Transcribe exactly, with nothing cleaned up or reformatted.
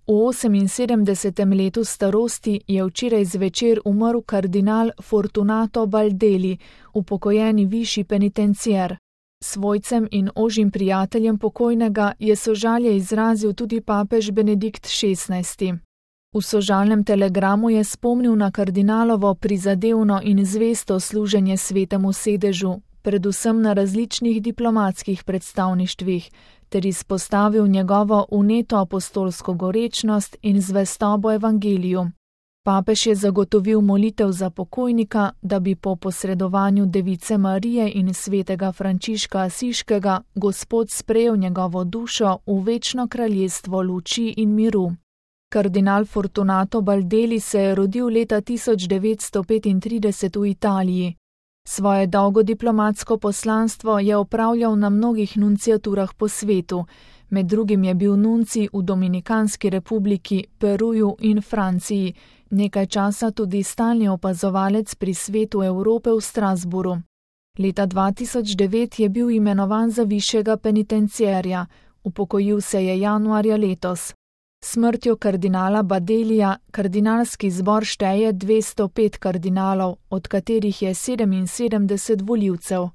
V oseminsedemdesetem letu starosti je včeraj zvečer umrl kardinal Fortunato Baldelli, upokojeni višji penitencier. Svojcem in ožjim prijateljem pokojnega je sožalje izrazil tudi papež Benedikt šestnajsti. V sožalnem telegramu je spomnil na kardinalovo prizadevno in zvesto služenje svetemu sedežu, predvsem na različnih diplomatskih predstavništvih, ter izpostavil njegovo vneto apostolsko gorečnost in zvestobo evangeliju. Papež je zagotovil molitev za pokojnika, da bi po posredovanju Device Marije in svetega Frančiška Asiškega Gospod sprejel njegovo dušo v večno kraljestvo luči in miru. Kardinal Fortunato Baldelli se je rodil leta tisoč devetsto petintrideset v Italiji. Svoje dolgo diplomatsko poslanstvo je opravljal na mnogih nunciaturah po svetu, med drugim je bil nuncij v Dominikanski republiki, Peruju in Franciji, nekaj časa tudi stalni opazovalec pri Svetu Evrope v Strasburu. Leta dva tisoč devet je bil imenovan za višjega penitenciarja, upokojil se je januarja letos. Smrtjo kardinala Baldellija kardinalski zbor šteje dvesto pet kardinalov, od katerih je sedeminsedemdeset volivcev.